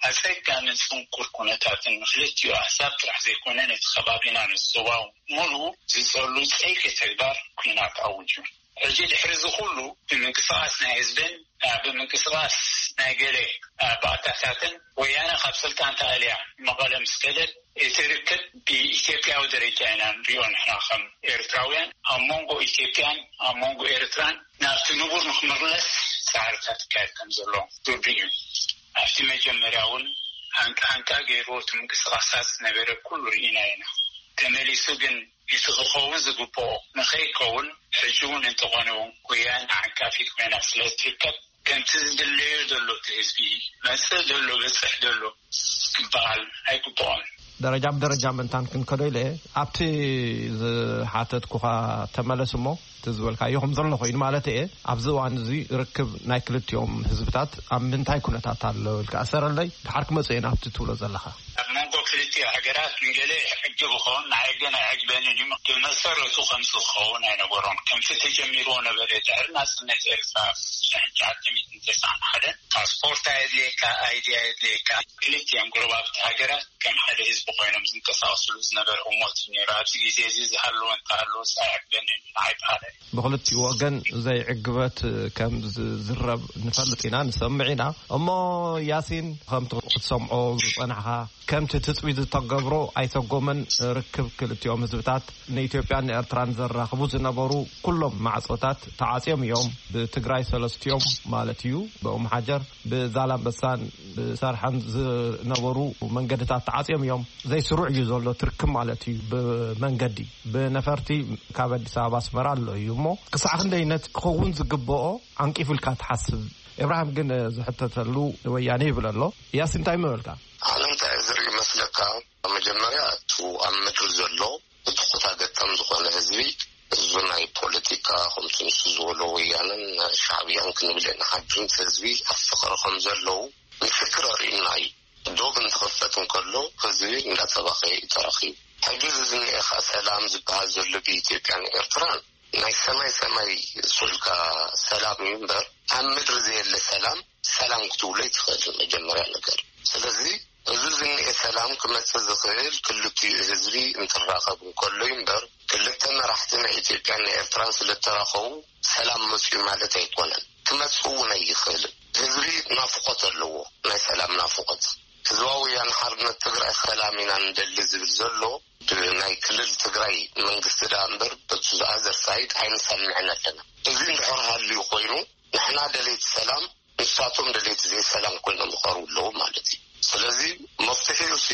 ኣጸጋምን ጽንኩር ኩነታትን ንክልቲኡ ኣህዛብ ጥራሕ ዘይኮነ፣ ነቲ ከባቢና ነቲ ዞባ ሙሉኡ ዝጸሉ ጸይቂ ተግባር ኲናት ኣውጁ። ሕጂ ድሕሪ እዚ ኩሉ ብምንቅስቓስ ናይ ህዝብን፣ እ፣ ብምንቅስቓስ ናይ ገለ፣ እ፣ ባእታታትን ወያነ ካብ ስልጣን ተኣልያ መቐለ ምስ ከደት፣ እቲ ርክብ ብኢትዮጵያዊ ደረጃ ኢና ንሪኦ ንሕና ከም ኤርትራውያን። ኣብ መንጎ ኢትዮጵያን ኣብ መንጎ ኤርትራን ናብቲ ንቡር ንክምለስ ጻዕርታት ይካየድ ከም ዘሎ ርዱእ እዩ። ኣብቲ መጀመርያ እውን ሃንቃ ሃንቃ ገይሩ እቲ ምንቅስቓሳት ዝነበረ ኩሉ ርኢና ኢና። ተመሊሱ ግን እቲ ክኸውን ዝግብኦ ንኸይከውን፣ ሕጂ እውን እንተኾነ እውን፣ ወያነ ዓንቃፊት ኮይና ስለ እትርከብ፣ ከምቲ ዝድለዮ ዘሎ እቲ ህዝቢ፣ መጽእ ዘሎ፣ በጽሕ ዘሎ ክበሃል ኣይግብኦን። ደረጃ ብደረጃ ምእንታን ክንከዶ ኢለ፣ ኣብቲ ዝሓተትኩኻ ተመለስ እሞ፣ እቲ ዝበልካዮ ከም ዘሎ ኮይኑ ማለት እየ። ኣብዚ እዋን እዚ ርክብ ናይ ክልቲኦም ህዝብታት ኣብ ምንታይ ኩነታት ኣሎ ኢልካ እሰረለይ፣ ድሓር ክመጽእ እየ ናብቲ ትብሎ ዘለኻ። ኣብ መንጎ ክልቲኡ ሃገራት ንገለ ይዕግብ ይኸውን፣ ንዓይ ግን ኣይዕግበንን እዩ። ብመሰረቱ ከምዚ ክኸውን ኣይነበሮን። ከምቲ ተጀሚርዎ ነበረ። ድሕሪ ናጽነት ኤርትራ፣ ሽሕን ትሽዓተ ሚእትን ተስዓን ሓደን፣ ፓስፖርት ኣየድልየካ፣ ኣይዲ ኣየድልየካ። ክልቲኦም ጎረባብቲ ሃገራት ከም ሓደ ህዝቢ ኮይኖም ዝንቀሳቐስሉ ዝነበረ ህሞት እዩ ነይሩ። ኣብዚ ግዜ እዚ ዝሃለወ እንተሃለወስ ኣይዕግበንን እዩ፣ ንዓይ በሃላይ። ብኽልቲኡ ወገን ዘይዕግበት ከም ዝዝረብ ንፈልጥ ኢና፣ ንሰምዕ ኢና። እሞ ያሲን፣ ከምቲ ክትሰምዖ ዝጸናሕካ፣ ከምቲ ትጽቢት ዝተገብሮ ኣይሰጎመን። ርክብ ክልቲኦም ህዝብታት፣ ንኢትዮጵያን ንኤርትራን ዘራኽቡ ዝነበሩ ኩሎም ማዕጾታት ተዓጽዮም እዮም። ብትግራይ ሰለስቲኦም ማለት እዩ፣ ብኡም ሓጀር፣ ብዛላምበሳን ብሰርሐን ዝነበሩ መንገድታት ተዓጽዮም እዮም። ዘይስሩዕ እዩ ዘሎ ትርክብ ማለት እዩ። ብመንገዲ፣ ብነፈርቲ ካብ ኣዲስ ኣበባ ኣስመራ ኣሎ እዩ። እሞ ክሳዕ ክንደይነት ክኸውን ዝግብኦ ዓንቂፉ ኢልካ ትሓስብ? ኤብርሃም ግን ዝሕተተሉ ወያነ ይብል ኣሎ። ያሲን እንታይ ምበልካ? ኣነ እንታይ ዝርኢ መስለካ? መጀመርያ፣ እቱ ኣብ ምድሪ ዘሎ፣ እቲ ኩታ ገጠም ዝኾነ ህዝቢ፣ እዚ ናይ ፖለቲካ፣ ከምቲ ንሱ ዝበሎ፣ ወያነን ሻዕብያን ክንብል ኢና። ሓድነት ህዝቢ ኣብ ፍቕሪ ከም ዘለዉ ምስክር ኣርእዩና እዩ። ዶብ እንትኽፈት እንከሎ፣ ህዝቢ እንዳተባኸየ እዩ ተረኺቡ። ሕጂ እዚ ዝኒኤ ኸኣ ሰላም ዝበሃል ዘሎ ብኢትዮጵያን ኤርትራን፣ ናይ ሰማይ ሰማይ ሱልካ ሰላም እዩ እምበር፣ ኣብ ምድሪ ዘየለ ሰላም፣ ሰላም ክትብሎ ኣይትኽእልን፣ መጀመርያ ነገር። ስለዚ፣ እዚ ዝኒኤ ሰላም ክመጽእ ዝኽእል ክልቲኡ ህዝቢ እንትራኸብ እንከሎ እዩ እምበር፣ ክልተ መራሕቲ ናይ ኢትዮጵያን ናይ ኤርትራን ስለ እተራኸቡ ሰላም መጽኡ ማለት ኣይኮነን። ክመጽእ እውን ኣይኽእልን። ህዝቢ ናፍቖት ኣለዎ፣ ናይ ሰላም ናፍቖት። ህዝባዊ ወያነ ሓርነት ትግራይ ሰላም ኢና ንደሊ ዝብል ዘሎ፣ ብናይ ክልል ትግራይ መንግስቲ ደኣ እምበር፣ በቲ ዝኣዘር ሳይድ ኣይንሰምዕን ኣለና። እዚ እንድሕር ሃልዩ ኮይኑ፣ ንሕና ደለይቲ ሰላም፣ ንሳቶም ደለይቲ ዘይሰላም ኮይኖም ይቐርቡ ኣለዉ ማለት እዩ። ስለዚ መፍትሒኡሲ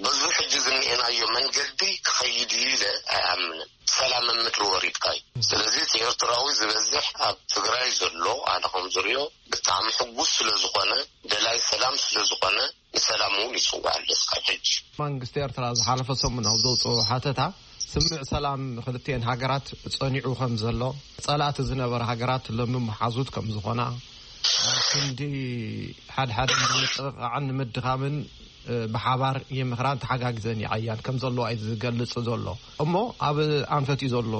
በዚ ሕጂ ዝኒኤናዮ መንገዲ ክኸይድ እዩ ኢለ ኣይኣምንን። ሰላም ኣብ ምድሪ ወሪድካ እዩ። ስለዚ እቲ ኤርትራዊ ዝበዝሕ ኣብ ትግራይ ዘሎ፣ ኣነ ከም ዝሪኦ፣ ብጣዕሚ ሕጉስ ስለ ዝኾነ፣ ደላይ ሰላም ስለ ዝኾነ፣ ንሰላም እውን ይጽዋዕ ኣሎ እስካብ ሕጂ። መንግስቲ ኤርትራ ዝሓለፈ ሰሙን ኣብ ዘውፅኦ ሓተታ፣ ስምምዕ ሰላም ክልቲኤን ሃገራት ጸኒዑ ከም ዘሎ፣ ጸላእቲ ዝነበራ ሃገራት ሎሚ መሓዙት ከም ዝኾና፣ ክንዲ ሓድሓደ ንምጥቕቓዕን ንምድኻምን፣ እ፣ ብሓባር ይምኽራን ተሓጋጊዘን ይዓያን ከም ዘለዋ እዩ ዝገልጽ ዘሎ። እሞ ኣብ ኣንፈት እዩ ዘሎ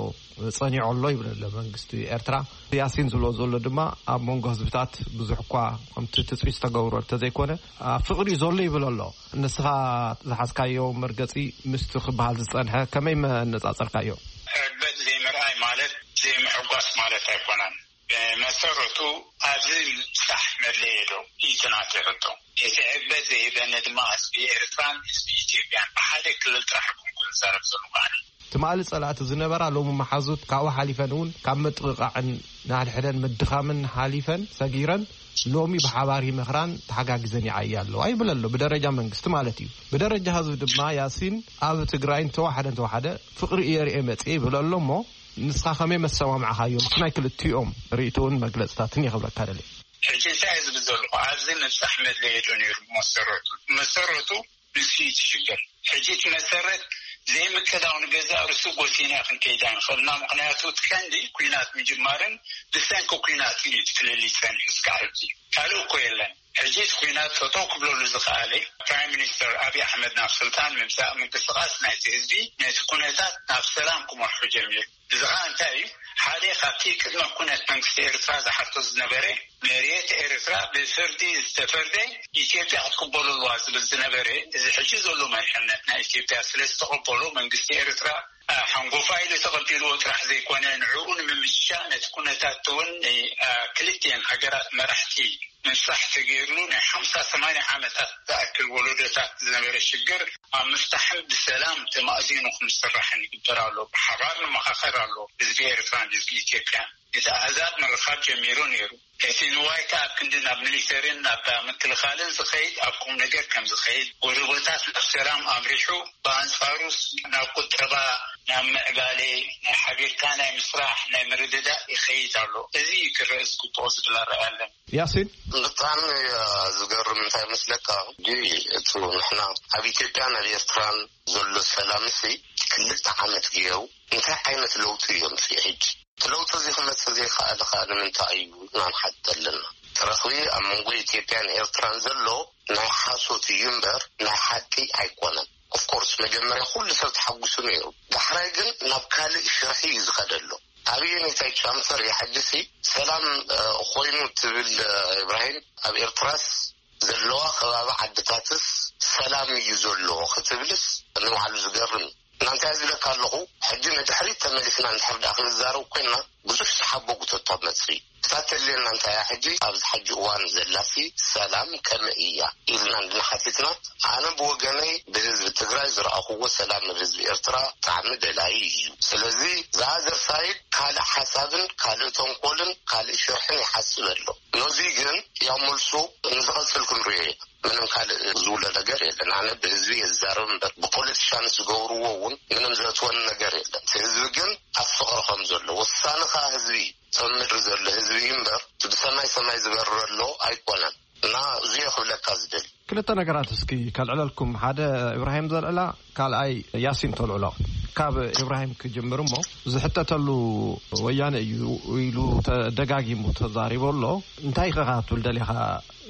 ጸኒዑ ኣሎ ይብል ኣሎ መንግስቲ ኤርትራ። ያሲን ዝብሎ ዘሎ ድማ ኣብ መንጎ ህዝብታት ብዙሕ እኳ ከምቲ ትጽቢት ዝተገብሮ እንተዘይኮነ፣ ኣብ ፍቕሪ እዩ ዘሎ ይብል ኣሎ። ንስኻ ዝሓዝካዮ መርገጺ ምስቲ ክበሃል ዝጸንሐ ከመይ መነጻጸርካዮ? ዕግበት ዘይምርኣይ ማለት ዘይምሕጓስ ማለት ኣይኮነን። ብመሰረቱ ኣብዚ ምብጻሕ መድለየ ዶ? ኢቲ ናተይ ሕቶ። እቲ ዕግበት ዘይህበኒ ድማ ህዝቢ ኤርትራን ህዝቢ ኢትዮጵያን ብሓደ ክልል ጥራሕ ኣይኮንኩን ዝዛረብ ዘለኹ ኣነ። ትማሊ ጸላእቲ ዝነበራ ሎሚ መሓዙት ካብኡ ሓሊፈን እውን ካብ ምጥቕቓዕን ንሓድሕደን ምድኻምን ሓሊፈን ሰጊረን ሎሚ ብሓባር ይመኽራን ተሓጋጊዘን ይዓያ ኣለዋ ይብል ኣሎ፣ ብደረጃ መንግስቲ ማለት እዩ። ብደረጃ ህዝቢ ድማ ያሲን ኣብ ትግራይ እንተወሓደ እንተወሓደ ፍቕሪ እየ ርኤ መጽእ ይብል ኣሎ እሞ ንስኻ ከመይ መሰማምዕኻዮ ምስ ናይ ክልቲኦም ርእይቶን መግለጽታትን የኽብረካ ደልየ። ሕጂ እንታይ እዩ ዝብል ዘለኹ? ኣብዚ ምብጻሕ መድለየ ዶ ነይሩ? መሰረቱ መሰረቱ ንሱ እዩ እቲ ሽግር። ሕጂ እቲ መሰረት ዘይምቅዳው ንገዛእ ርእሱ ጎሲና ክንከይድ ኣይንኽእልና። ምኽንያቱ እቲ ቀንዲ ኲናት ምጅማርን ብሰንኪ ኲናት እዩ እቲ ፍልልይ ጸኒሑ እስካዕ ሕጂ። ካልእ እኮ የለን። ሕጂ እቲ ኲናት ጠጠው ክብለሉ ዝኸኣለ ፕራይም ሚኒስተር ኣብይ ኣሕመድ ናብ ስልጣን ምምጻእ ምንቅስቓስ ናይቲ ህዝቢ ነቲ ኩነታት ናብ ሰላም ክመርሑ ጀሚሩ። እዚ ኸኣ እንታይ እዩ? ሓደ ካብቲ ቅድመ ኩነት መንግስቲ ኤርትራ ዝሓቶ ዝነበረ መሬት ኤርትራ ብፍርዲ ዝተፈርደ ኢትዮጵያ ክትቅበሎ ኣለዋ ዝብል ዝነበረ፣ እዚ ሕጂ ዘሎ መሪሕነት ናይ ኢትዮጵያ ስለ ዝተቐበሎ መንግስቲ ኤርትራ ሓንጎፋ ኢሉ ተቐቢልዎ ጥራሕ ዘይኮነ ንዕኡ ንምምችቻ ነቲ ኩነታት እውን ክልቲኤን ሃገራት መራሕቲ ምብጻሕ ተገይርሉ ናይ ሓምሳ ሰማንያ ዓመታት ዝኣክል ወለዶታት ዝነበረ ሽግር ኣብ ምፍታሕን ብሰላም ተማእዚኑ ክምስራሕን ይግበር ኣሎ። ብሓባር ንመኻኸር ኣሎ ህዝቢ ኤርትራን ህዝቢ ኢትዮጵያን። እቲ ኣህዛብ ምርኻብ ጀሚሩ ነይሩ። እቲ ንዋይ ከኣ ኣብ ክንዲ ናብ ሚሊተሪን ናብ ምክልኻልን ዝኸይድ ኣብ ቁም ነገር ከም ዝኸይድ፣ ጎደቦታት ናብ ሰላም ኣምሪሑ፣ ብኣንጻሩስ ናብ ቁጠባ፣ ናብ ምዕባለ፣ ናይ ሓቢርካ ናይ ምስራሕ ናይ ምርድዳእ ይኸይድ ኣሎ። እዚ እዩ ክረአ ዝግብኦ ዝብል ኣረኣእያ ኣለኒ። ያሲን። ብጣዕሚ ዝገርም እንታይ መስለካ ሕጂ እቲ ንሕና ኣብ ኢትዮጵያን ኣብ ኤርትራን ዘሎ ሰላምሲ ክልተ ዓመት ገይሩ እንታይ ዓይነት ለውጢ እዮም ሲ ሕጂ እቲ ለውጢ እዚ ክመፅእ ዘይከኣለ ከዓ ንምንታይ እዩ ኢና ንሓትት ኣለና? እቲ ረኽቢ ኣብ መንጎ ኢትዮጵያን ኤርትራን ዘሎ ናይ ሓሶት እዩ እምበር ናይ ሓቂ ኣይኮነን። ኦፍኮርስ መጀመርያ ኩሉ ሰብ ተሓጉሱ ነይሩ። ዳሕራይ ግን ናብ ካልእ ሽርሒ እዩ ዝኸደሎ። ኣብየነታይ ቻምፈር እያ ሕጂሲ ሰላም ኮይኑ ትብል? ኢብራሂም ኣብ ኤርትራስ ዘለዋ ከባቢ ዓድታትስ ሰላም እዩ ዘሎ ክትብልስ ንባዕሉ ዝገርም እዩ። እና እንታይ ዝብለካ ኣለኹ ሕጂ ንድሕሪት ተመሊስና እንድሕር ደኣ ክንዛረብ ኮይና ብዙሕ ዝሓቦ ጉተቶ መፅኢ እታ ተልየና እንታይ እያ ሕጂ ኣብዚ ሕጂ እዋን ዘላሲ ሰላም ከመይ እያ ኢልና እንድንሓቲትና ኣነ ብወገነይ ብህዝቢ ትግራይ ዝረኣኽዎ ሰላም ኣብ ህዝቢ ኤርትራ ብጣዕሚ ደላይ እዩ። ስለዚ ዘኣዘር ሳይድ ካልእ ሓሳብን ካልእ ተንኮልን ካልእ ሽርሕን ይሓስብ ኣሎ። ነዚ ግን ያው መልሱ ንዝቐፅል ክንሪኦ ኢና። ምንም ካልእ ዝውለ ነገር የለን። ኣነ ብህዝቢ የዛረብ እምበር ብፖለቲሻንስ ዝገብርዎ እውን ምንም ዘእትወኒ ነገር የለን። ህዝቢ ግን ኣብ ፍቕሪ ከም ዘሎ ወሳኒ ከዓ ህዝቢ እዩ። እቶም ምድሪ ዘሎ ህዝቢ እዩ እምበር እቲ ብሰማይ ሰማይ ዝበርር ኣሎ ኣይኮነን። እና እዙ ክብለካ ዝደሊ። ክልተ ነገራት እስኪ ከልዕለልኩም። ሓደ እብራሂም ዘልዕላ፣ ካልኣይ ያሲን ተልዕሎ። ካብ እብራሂም ክጅምር እሞ ዝሕተተሉ ወያነ እዩ ኢሉ ተደጋጊሙ ተዛሪቡ ኣሎ። እንታይ ኢኻ ክትብል ደሊኻ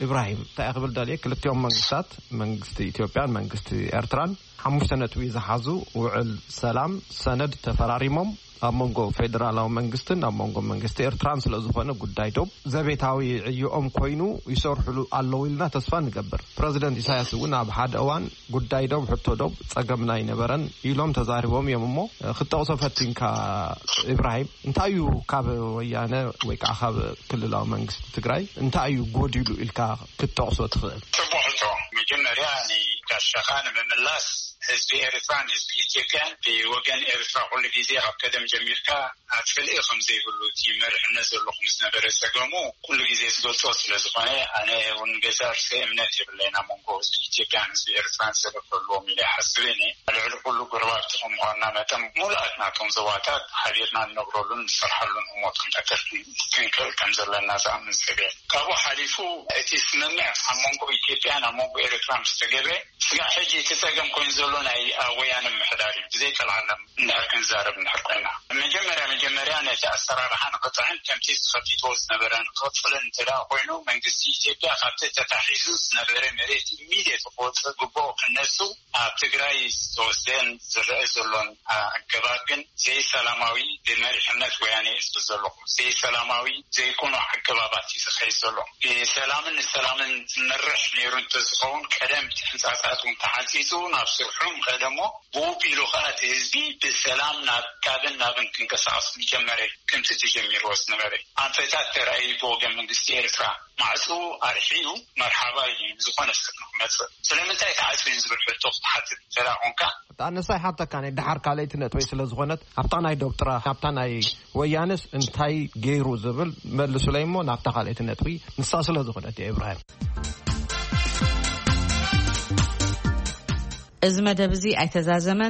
እብራሂም? እንታይ ክብል ደልየ ክልቲኦም መንግስታት መንግስቲ ኢትዮጵያን መንግስቲ ኤርትራን ሓሙሽተ ነጥቢ ዝሓዙ ውዕል ሰላም ሰነድ ተፈራሪሞም ኣብ መንጎ ፌደራላዊ መንግስትን ኣብ መንጎ መንግስቲ ኤርትራን ስለ ዝኾነ ጉዳይ ዶብ ዘቤታዊ ዕዮኦም ኮይኑ ይሰርሕሉ ኣለዉ ኢልና ተስፋ ንገብር። ፕረዚደንት ኢሳያስ እውን ኣብ ሓደ እዋን ጉዳይ ዶብ ሕቶ ዶብ ጸገምና ኣይነበረን ኢሎም ተዛሪቦም እዮም። እሞ ክትጠቕሶ ፈቲንካ ኢብራሂም እንታይ እዩ ካብ ወያነ ወይ ከዓ ካብ ክልላዊ መንግስቲ ትግራይ እንታይ እዩ ጎዲሉ ኢልካ ክትጠቕሶ ትኽእል? ጽቡቕ ሕቶ። መጀመርያ ንጋሻኻ ንምምላስ ህዝቢ ኤርትራን ህዝቢ ኢትዮጵያን ብወገን ኤርትራ ኩሉ ግዜ ካብ ቀደም ጀሚርካ ኣጽልኢ ከም ዘይብሉ እቲ መሪሕነት ዘለኹም ዝነበረ ጸገሙ ኩሉ ግዜ ዝገልጾ ስለ ዝኾነ ኣነ እውን ገዛ ርእሰ እምነት የብለይን ኣብ መንጎ ህዝቢ ኢትዮጵያን ህዝቢ ኤርትራን ሰበብ ክህልዎም ኢለ ይሓስብ እየ። ልዕሊ ኩሉ ጎረባብቲ ከም ምዃንና መጠን ሙሉኣት ናቶም ዞባታት ሓቢርና ንነብረሉን ንሰርሓሉን ህሞት ክንፈጥር ክንክእል ከም ዘለና ዝኣምን ሰብ እየ። ካብኡ ሓሊፉ እቲ ስምምዕ ኣብ መንጎ ኢትዮጵያን ኣብ መንጎ ኤርትራ ምስ ተገብረ ስጋዕ ሕጂ እቲ ጸገም ኮይኑ ዘሎ ናይ ወያነ ምምሕዳር እዩ። ብዘይ ጠልዓለም እንድሕር ክንዛረብ እንድሕር ኮይና መጀመርያ መጀመርያ ነቲ ኣሰራርሓ ንኽጥዕን ከምቲ ዝኸፊትዎ ዝነበረ ንኽቕጽልን እንተ ደኣ ኮይኑ መንግስቲ ኢትዮጵያ ካብቲ ተታሒዙ ዝነበረ መሬት ኢሚድየት ክወፅእ ግብኦ ክነሱ ኣብ ትግራይ ዝተወስደን ዝረአ ዘሎን ኣገባብ ግን ዘይሰላማዊ ብመሪሕነት ወያነ እዩ ዝብል ዘለኹ ዘይሰላማዊ ዘይኮኑ ኣገባባት እዩ ዝኸይድ ዘሎ። ብሰላምን ንሰላምን ዝመርሕ ነይሩ እንተዝኸውን ቀደም እቲ ሕንፃፃት እውን ተሓንፂፁ ናብ ስርሑ ምኸደ እሞ ብኡ ቢሉ ከዓ እቲ ህዝቢ ሰላም ናብ ካብን ናብን ክንቀሳቐስ ዝጀመረ፣ ከምቲ ተጀሚርዎ ዝነበረ ኣንፈታት ተራእዩ ብወገን መንግስቲ ኤርትራ ማዕፁ ኣርሒዩ መርሓባ ኢሉ ዝኾነ ሰብ ንክመፅእ ስለምንታይ ተዓፅዩ ዝብል ሕቶ ክትሓትት እንተ ደኣ ኮንካ፣ ኣነሳ ይሓተካ ናይ ደሓር ካልኣይቲ ነጥበይ ስለ ዝኾነት ኣብታ ናይ ዶብ ጥራሕ ኣብታ ናይ ወያነስ እንታይ ገይሩ ዝብል መልሱለይ እሞ ናብታ ካልኣይቲ ነጥቢ ንሳ ስለ ዝኾነት እያ። ኢብራሂም። እዚ መደብ እዚ ኣይተዛዘመን።